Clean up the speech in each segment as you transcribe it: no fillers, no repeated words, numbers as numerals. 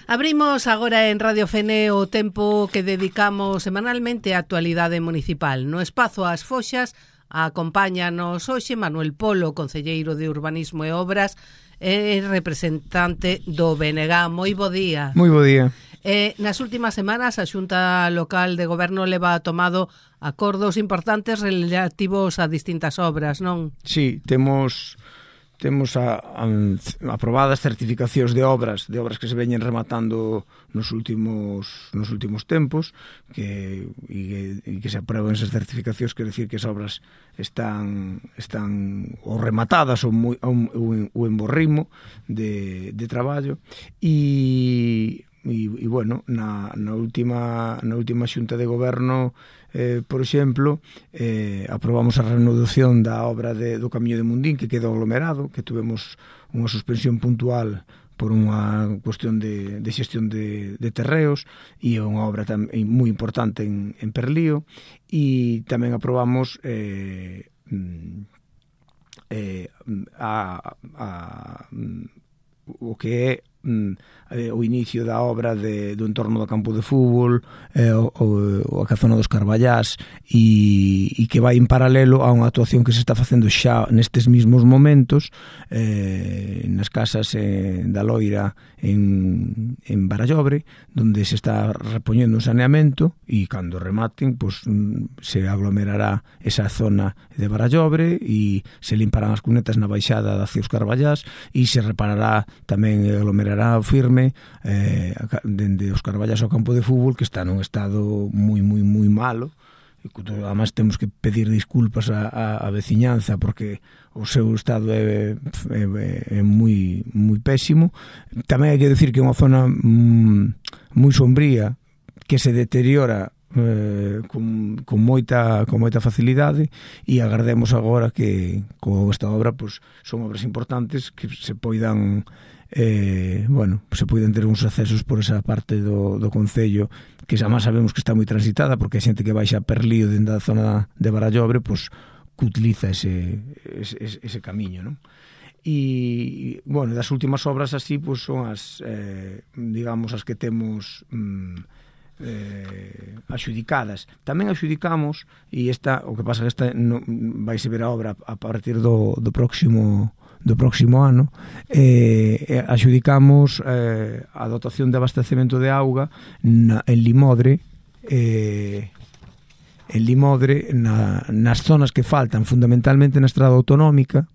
Abrimos agora en Radio Fene o tempo que dedicamos semanalmente á actualidade municipal. No espazo As Foxas acompáñanos hoxe Manuel Polo, concelleiro de Urbanismo e Obras e representante do BNG. Moi bo día. Moi bo día. Nas últimas semanas a Xunta Local de Goberno leva tomado acordos importantes relativos a distintas obras, non? Sí, temos aprobadas certificacións de obras que se veñen rematando nos últimos tempos que se aprueben esas certificacións, quer decir que as obras están ou rematadas ou en bo ritmo de traballo e bueno, na última xunta de goberno por exemplo, aprobamos a reanudación da obra do Camiño de Mundín que quedou aglomerado, que tuvemos unha suspensión puntual por unha cuestión de xestión de terreos e unha obra moi importante en Perlío, e tamén aprobamos o que é o inicio da obra do entorno do campo de fútbol, a zona dos Carballás, e que vai en paralelo a unha actuación que se está facendo xa nestes mismos momentos nas casas da Loira en Barallobre, donde se está repoñendo un saneamento, e cando rematen se aglomerará esa zona de Barallobre e se limparán as cunetas na baixada hacia os Carballás, e se reparará tamén e aglomerará firme dende os Carballás ao campo de fútbol, que está nun estado moi malo. Además temos que pedir disculpas á veciñanza porque o seu estado é moi pésimo. Tamén hai que decir que é unha zona moi sombría, que se deteriora con moita facilidade, e agardemos agora que con esta obra son obras importantes que se poidan se poden ter uns accesos por esa parte do concello, que xa máis sabemos que está moi transitada porque a xente que baixa a Perlío dentro da zona de Barallobre que utiliza ese camiño, non? E, bueno, das últimas obras así son as digamos as que temos axudicadas. Tamén axudicamos, e o que pasa que esta vaise ver a obra a partir do próximo ano, axudicamos a dotación de abastecemento de auga en Limodre, nas zonas que faltan, fundamentalmente na estrada autonómica,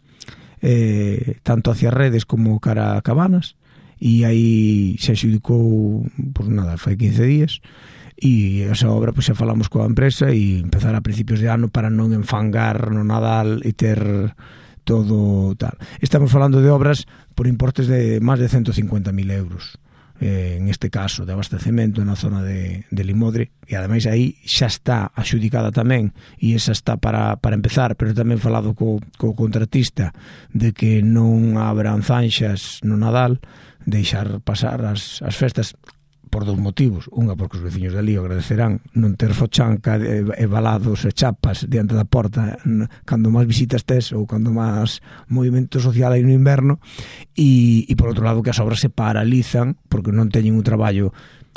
tanto hacia Redes como cara a Cabanas, e aí se axudicou fai 15 días, e esa obra xa falamos coa empresa e empezar a principios de ano para non enfangar no Nadal e ter todo tal. Estamos falando de obras por importes de máis de 150.000 euros, en este caso de abastecemento na zona de Limodre, e ademais aí xa está axudicada tamén, e esa está para empezar, pero tamén falado co contratista de que non abran zanxas no Nadal, deixar pasar as festas por dous motivos. Unha, porque os veciños de ali agradecerán non ter fochanca e balados e chapas diante da porta cando máis visitas tes ou cando máis movimento social hai no inverno, e por outro lado que as obras se paralizan porque non teñen un traballo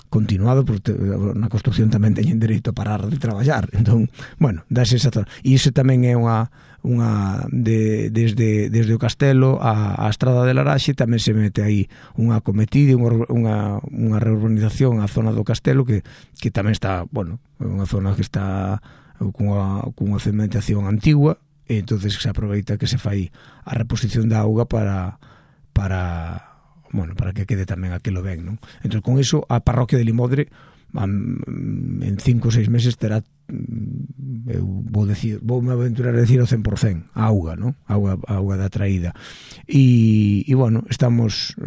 continuado, porque na construcción tamén teñen dereito a parar de traballar. Entón, bueno, dáse esa zona. E iso tamén é desde o Castelo a Estrada de Laraxe, tamén se mete aí unha acometida, unha reurbanización á zona do Castelo que tamén está, bueno, unha zona que está cunha cementación antigua, e entonces se aproveita que se fai a reposición da auga para que quede tamén aquilo ben, non? Entón, con iso, a parroquia de Limodre en 5 ou 6 meses terá, voume aventurar a decir ao 100% auga, non? Auga da traída. E bueno, estamos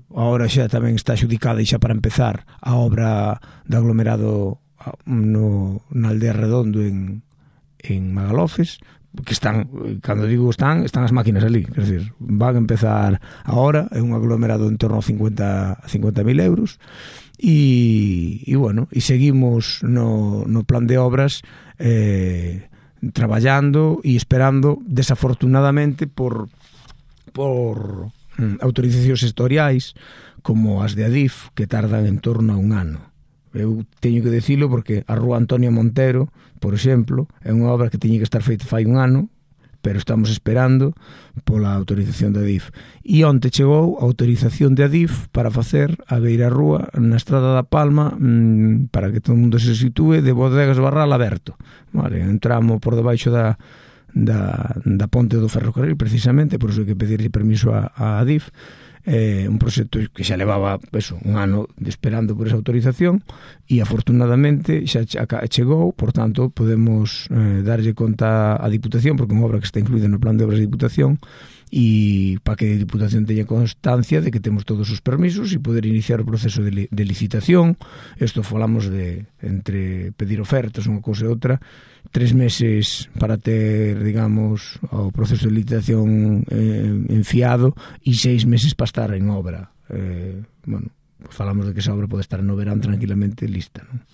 agora xa tamén está axudicada, e xa para empezar a obra de aglomerado na aldea Redondo en Magalofes, que están, cando digo están as máquinas ali, quer dizer, van a empezar agora, é un aglomerado en torno a 50.000 euros, e bueno, e seguimos no plan de obras traballando e esperando, desafortunadamente por autorizacións sectoriais como as de Adif, que tardan en torno a un ano. Eu teño que dicilo porque a Rúa Antonio Montero, por exemplo, é unha obra que teña que estar feita fai un ano, pero estamos esperando pola autorización de Adif. E onte chegou a autorización de Adif para facer a beirarrúa na Estrada da Palma, para que todo o mundo se sitúe, de Bodegas Barral aberto. Vale, un tramo por debaixo da ponte do ferrocarril, precisamente, por iso hai que pedirle permiso a Adif. Un proxecto que xa levaba un ano esperando por esa autorización e afortunadamente xa chegou, por tanto podemos darlle conta á Diputación, porque é unha obra que está incluída no plan de obras de Diputación, e para que a Diputación teña constancia de que temos todos os permisos e poder iniciar o proceso de licitación. Isto falamos de entre pedir ofertas, unha cousa e outra, 3 meses para ter, digamos, o proceso de licitación enfiado e 6 meses para estar en obra. Bueno, falamos de que esa obra pode estar no verán tranquilamente lista, non?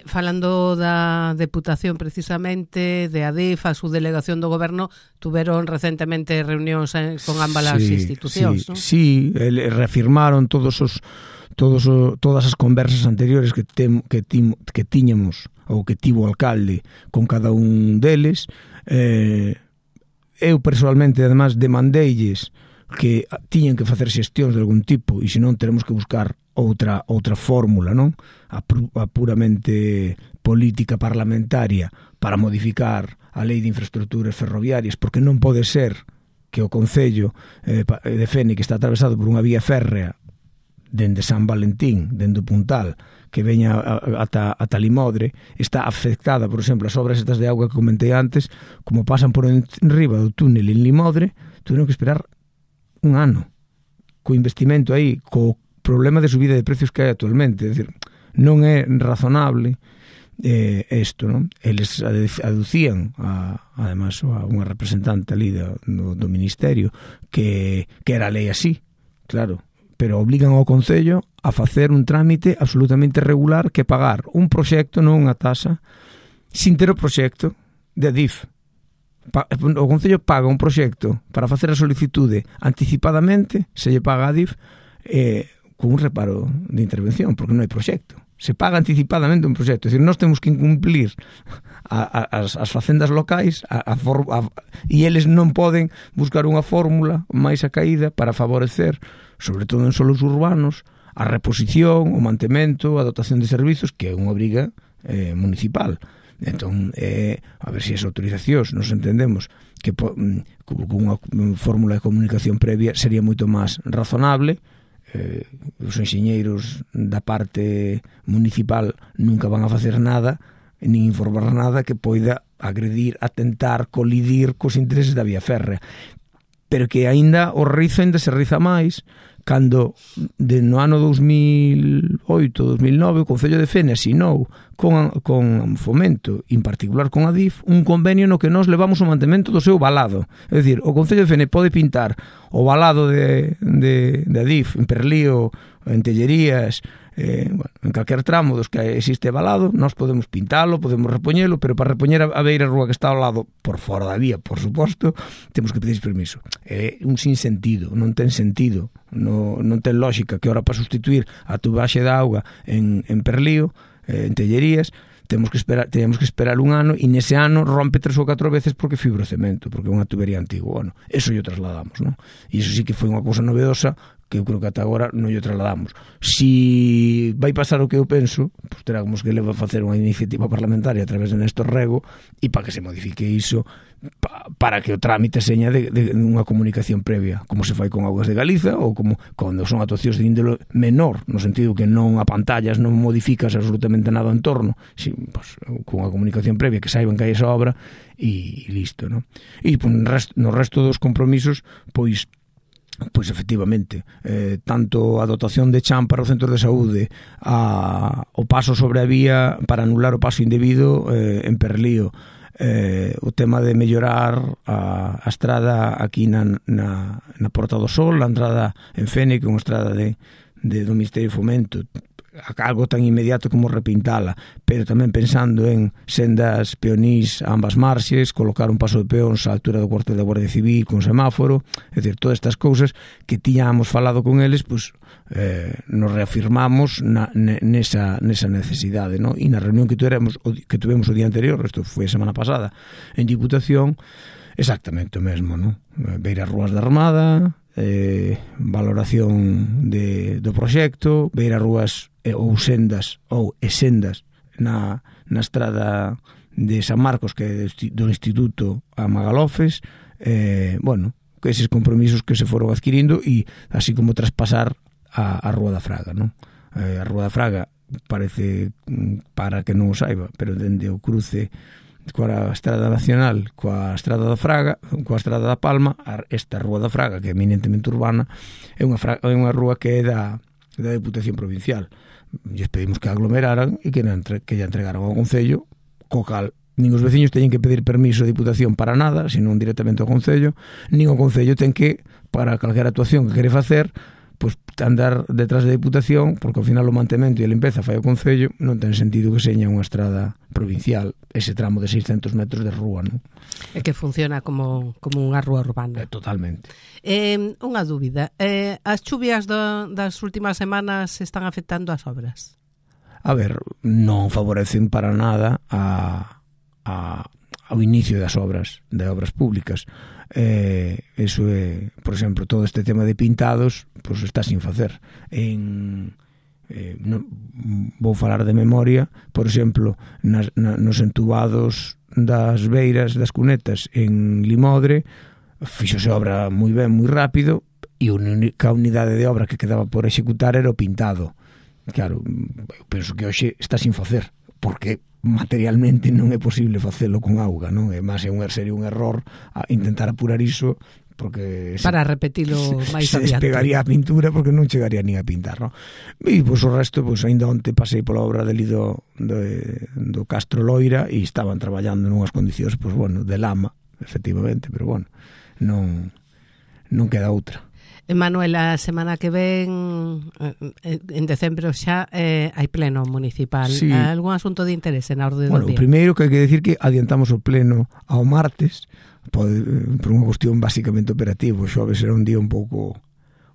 Falando da Deputación precisamente, de Adif, a subdelegación do Goberno, tuveron recentemente reunións con ambas as institucións, non? Sí, reafirmaron todas as conversas anteriores que tiñamos ou que tivo o alcalde con cada un deles. Eu personalmente, además, demandeilles que tiñan que facer xestións de algún tipo e senón teremos que buscar outra fórmula, non? A puramente política parlamentaria para modificar a Lei de Infraestructuras Ferroviarias, porque non pode ser que o Concello de Fene, que está atravesado por unha vía férrea dende San Valentín, dende o Puntal, que veña ata Limodre, está afectada, por exemplo, as obras estas de auga que comentei antes, como pasan por enriba do túnel en Limodre, tuveron que esperar un ano, co investimento aí, co problema de subida de precios que hai actualmente. É dicir, non é razonable isto, non? Eles aducían además a unha representante ali do Ministerio que era a lei así, claro, pero obligan ao Concello a facer un trámite absolutamente regular, que pagar un proxecto, non unha tasa, sin ter o proxecto de Adif. O Concello paga un proxecto para facer a solicitude anticipadamente, se lle paga a Adif con un reparo de intervención, porque non hai proxecto. Se paga anticipadamente un proxecto. É dicir, nós temos que incumplir as facendas locais e eles non poden buscar unha fórmula máis acaída para favorecer, sobre todo en solos urbanos, a reposición, o mantemento, a dotación de servizos, que é unha obriga municipal. Entón, a ver se as autorizacións nos entendemos que con unha fórmula de comunicación previa sería moito máis razonable. Os enxeñeiros da parte municipal nunca van a facer nada, nin informar nada que poida agredir, atentar, colidir cos intereses da vía férrea, pero que aínda o rizo ainda se riza máis cando no ano 2008-2009 o Concello de Fene asinou con Fomento, en particular con Adif, un convenio no que nós levamos o mantemento do seu valado. É dicir, o Concello de Fene pode pintar o valado de Adif en Perlío, en Tellerías, en calquer tramo dos que existe valado, nós podemos pintalo, podemos repoñelo, pero para repoñer a beira rúa que está ao lado, por fora da vía, por suposto, temos que pedir permiso. É un sinsentido, non ten sentido, non ten lógica que ahora para sustituir a tubaxe de auga en Perlío, en Tellerías, teníamos que esperar un ano e nese ano rompe 3 ou 4 veces porque fibrocemento, porque é unha tubería antigua. Bueno, eso yo trasladamos, non? E iso sí que foi unha cousa novedosa que eu creo que ata agora non yo trasladamos. Si vai pasar o que eu penso, pues teremos que facer unha iniciativa parlamentaria a través de Néstor Rego e para que se modifique iso, para que o trámite seña de unha comunicación previa, como se fai con Augas de Galiza ou como cando son actuacións de índole menor, no sentido que non a pantallas, non modificas absolutamente nada en torno, si, pues, con unha comunicación previa que saiban que hai esa obra e listo, non? E pues, no resto dos compromisos, pois efectivamente, tanto a dotación de chan para o centro de saúde, o paso sobre a vía para anular o paso indebido en Perlío, o tema de mellorar a estrada aquí na Porta do Sol, a entrada en Fene, que é unha estrada do Ministerio de Fomento, algo tan inmediato como repintala, pero tamén pensando en sendas peonís a ambas marxes, colocar un paso de peóns á altura do cuartel da Guardia Civil con semáforo, é dicir, todas estas cousas que tiñamos falado con eles, pois nos reafirmamos nesa necesidade, ¿no? E na reunión que tuvemos o día anterior, isto foi a semana pasada, en Diputación, exactamente o mesmo, ¿no? Ver as rúas da Armada, valoración do proxecto, ver as rúas ou sendas na estrada de San Marcos, que é do Instituto a Magalofes, bueno, eses compromisos que se foron adquirindo, e así como traspasar a Rúa da Fraga, ¿no? A Rúa da Fraga parece, para que non o saiba, pero dende o cruce coa Estrada Nacional, coa Estrada da Fraga, coa Estrada da Palma, esta Rúa da Fraga, que é eminentemente urbana, é unha rúa que é da Diputación Provincial. Lles pedimos que aglomeraran e que lle entregaran ao Concello, co cal nin os veciños teñen que pedir permiso a Diputación para nada, senón directamente ao Concello, nin o Concello ten que, para calquera actuación que quere facer, pois andar detrás da Diputación, porque ao final o mantemento e a limpeza fai o Concello, non ten sentido que seña unha estrada provincial ese tramo de 600 metros de rúa, non? É que funciona como unha rúa urbana. Totalmente. Unha dúbida, as chuvias das últimas semanas están afectando as obras? A ver, non favorecen para nada ao inicio das obras públicas. Eso é, por exemplo, todo este tema de pintados, pois está sin facer. Vou falar de memoria, por exemplo, nos entubados das beiras das cunetas en Limodre, fixose obra moi ben, moi rápido, e a única unidade de obra que quedaba por executar era o pintado. Claro, eu penso que hoxe está sin facer, porque materialmente non é posible facelo con auga, non? E máis sería un error a intentar apurar iso, porque para repetilo máis se adiante. Despegaría a pintura porque non chegaría nin a pintar, non? E pois o resto, pois ainda onte pasei pola obra do Castro Loira e estaban traballando nunhas condicións, pois bueno, de lama, efectivamente, pero bueno, non queda outra. Manuel, a semana que ven, en decembro xa, hai pleno municipal. Sí. Algún asunto de interese na orde do día? O primeiro que hai que decir que adiantamos o pleno ao martes, por unha cuestión basicamente operativa. O xoves era un día un pouco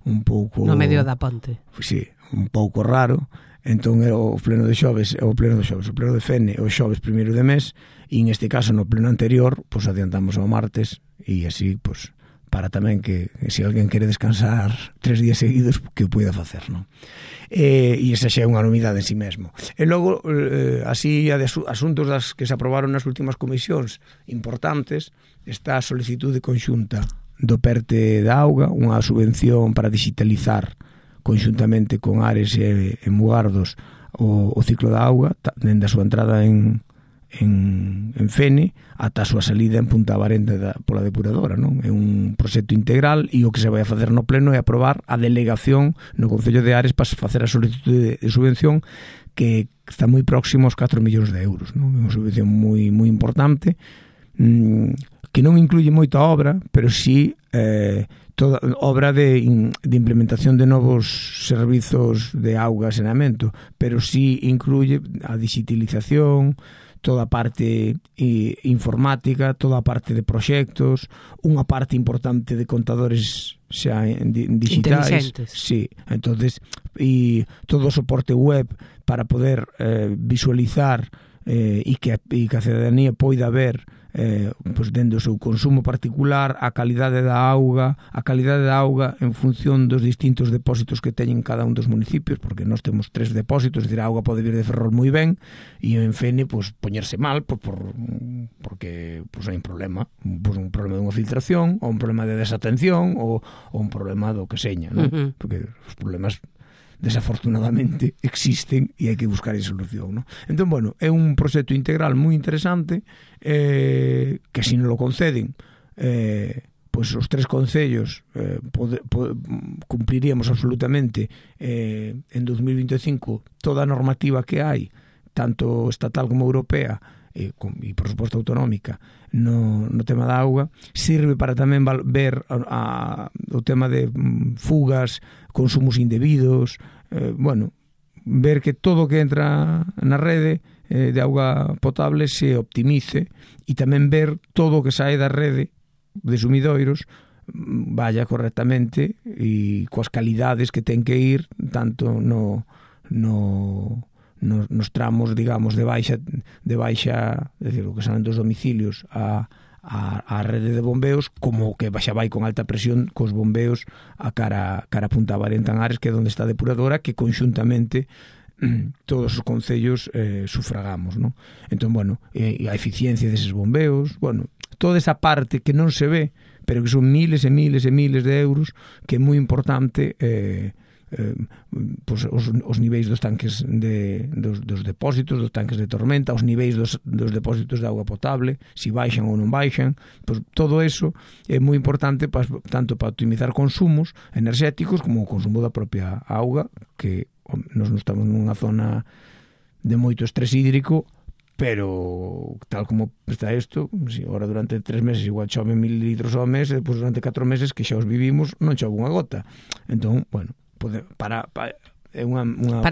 no medio da ponte. Sí, un pouco raro. Entón o pleno de Fene, o xoves primeiro de mes, e en este caso no pleno anterior, pois adiantamos ao martes, e así, pois, para tamén que se alguén quere descansar 3 días seguidos, que o poida facer, non? E esa xa é unha novidade en si mesmo. E logo, así, asuntos das que se aprobaron nas últimas comisións importantes, está a solicitude conxunta do PERTE da auga, unha subvención para digitalizar conxuntamente con Ares e Mugardos o ciclo da auga, dende a súa entrada en Fene ata a súa salida en Punta Abarente pola depuradora, non? É un proxecto integral, e o que se vai a facer no pleno é aprobar a delegación no Concello de Ares para facer a solicitude de subvención, que está moi próximo aos 4 millóns de euros, non? É unha subvención moi importante, que non incluye moita obra, pero sí toda obra de implementación de novos servizos de auga e saneamento, pero sí incluye a digitalización, toda a parte informática, toda a parte de proxectos, unha parte importante de contadores xa digitais, sí, entonces, e todo o soporte web para poder visualizar e que a cidadanía poida ver pois dende o seu consumo particular a calidade da auga en función dos distintos depósitos que teñen cada un dos municipios, porque nós temos 3 depósitos, é dicir, a auga pode vir de Ferrol moi ben e en Fene pois poñerse mal porque pois hai un problema dunha filtración, ou un problema de desatención, ou un problema do que seña, non? Porque os problemas desafortunadamente existen e hai que buscar a solución, non? Entón, bueno, é un proxecto integral moi interesante, que se non lo conceden, pois os 3 concellos cumpliríamos absolutamente en 2025 toda a normativa que hai, tanto estatal como europea, e por suposto autonómica, no tema da auga. Sirve para tamén ver o tema de fugas, consumos indebidos, bueno, ver que todo que entra na rede de auga potable se optimice e tamén ver todo o que sae da rede de sumidoiros vaya correctamente e coas calidades que ten que ir tanto nos tramos, digamos, de baixa, decir, o que salen dos domicilios a rede de bombeos, como que xa vai con alta presión cos bombeos a cara a Punta Barenta en Ares, que é onde está a depuradora, que conxuntamente todos os concellos sufragamos, ¿no? Entón, bueno, a eficiencia deses bombeos, bueno, toda esa parte que non se ve, pero que son miles e miles e miles de euros, que é moi importante pues, os niveis dos tanques dos depósitos, dos tanques de tormenta, os niveis dos depósitos de auga potable, si baixan ou non baixan, pues, todo eso é moi importante tanto para optimizar consumos enerxéticos como o consumo da propia auga, que nos estamos nunha zona de moito estrés hídrico, pero tal como está isto, si agora durante 3 meses igual chove 1000 litros ao mes, e depois durante 4 meses que xa os vivimos non chove unha gota. Entón, bueno, é para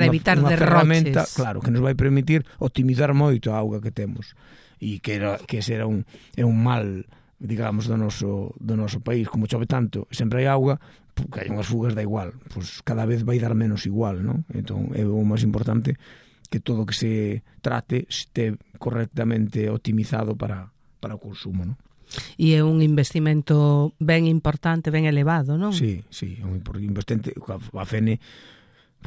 evitar unha ferramenta, derroches, claro, que nos vai permitir optimizar moito a auga que temos, e que ese é un mal, digamos, do noso país. Como chove tanto, sempre hai auga, que hai unhas fugas da igual, pues cada vez vai dar menos igual, ¿no? Entón é o máis importante que todo que se trate este correctamente optimizado para o consumo, ¿no? E é un investimento ben importante, ben elevado, non? Sí, é un investimento. A FENE,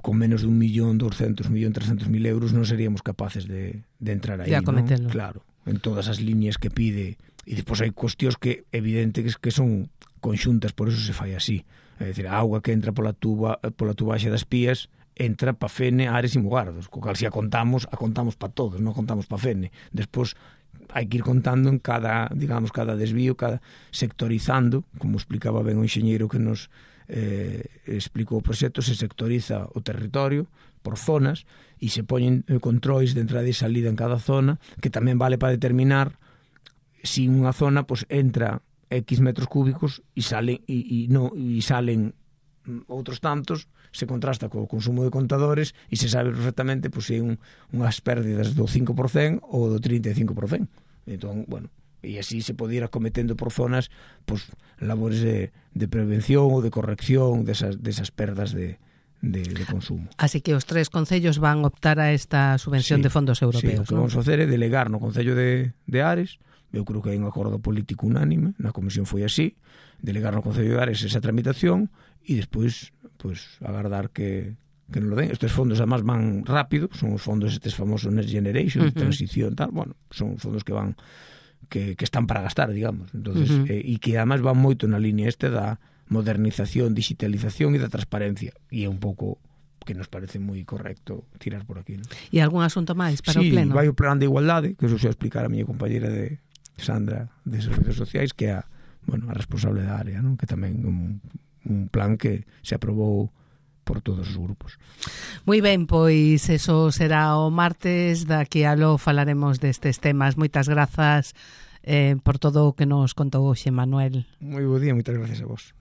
con menos de 1.200.000, 1.300.000 euros non seríamos capaces de entrar aí, ¿no? Claro, en todas as líneas que pide, e despois hai cuestións que evidente que son conxuntas, por eso se fai así. É dicir, a auga que entra pola tubaxe das pías entra pa FENE, Ares e Mugardos, co cal se a contamos pa todos, non contamos pa FENE. Despois hai que ir contando en cada desvío, cada sectorizando, como explicaba ben o enxeñeiro que nos explicou o proxecto, se sectoriza o territorio por zonas e se poñen controis de entrada e salida en cada zona, que tamén vale para determinar si unha zona pues, entra X metros cúbicos e salen outros tantos, se contrasta co consumo de contadores e se sabe perfectamente pues, se hai unhas pérdidas do 5% ou do 35%. Entón, bueno, e así se pode ir acometendo por zonas pues, labores de prevención ou de corrección desas perdas de consumo. Así que os 3 concellos van optar a esta subvención de fondos europeos. Sí, o que vamos facer é delegar no Concello de Ares. Eu creo que hai un acordo político unánime, na comisión foi así, delegar no Concello de Ares esa tramitación e despois pues, agardar que non lo den. Estes fondos además van rápido, son os fondos estes famosos Next Generation, de transición, tal, bueno, son fondos que van que están para gastar, digamos. Entonces, e que además van moito na línea da modernización, digitalización e da transparencia. E é un pouco que nos parece moi correcto tirar por aquí, ¿no? E algún asunto máis para o pleno? Sí, vai o plan de igualdade, que eso xa explicar a miña compañera de Sandra de Servicios Sociais, que é a responsable da área, ¿no? Que tamén un plan que se aprobou por todos os grupos. Moi ben, pois eso será o martes, daqui a lo falaremos destes temas. Moitas grazas por todo o que nos contou hoxe, Manuel. Moi bo día, moitas gracias a vos.